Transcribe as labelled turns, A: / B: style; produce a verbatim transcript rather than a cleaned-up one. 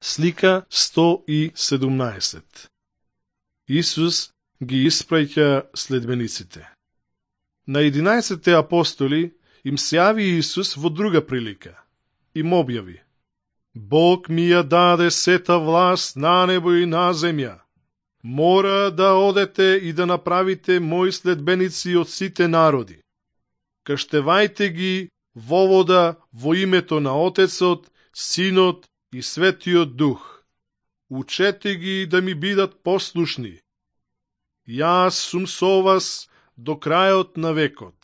A: Слика сто и седумнаесет. Исус ги испраќа следбениците. На единаесетте апостоли им се јави Исус во друга прилика. Им објави: Бог ми ја даде сета власт на небо и на земја. Мора да одете и да направите мои следбеници од сите народи. Крштевајте ги во вода во името на Отецот, Синот и Светиот Дух. Учете ги да ми бидат послушни. Јас сум со вас до крајот на векот.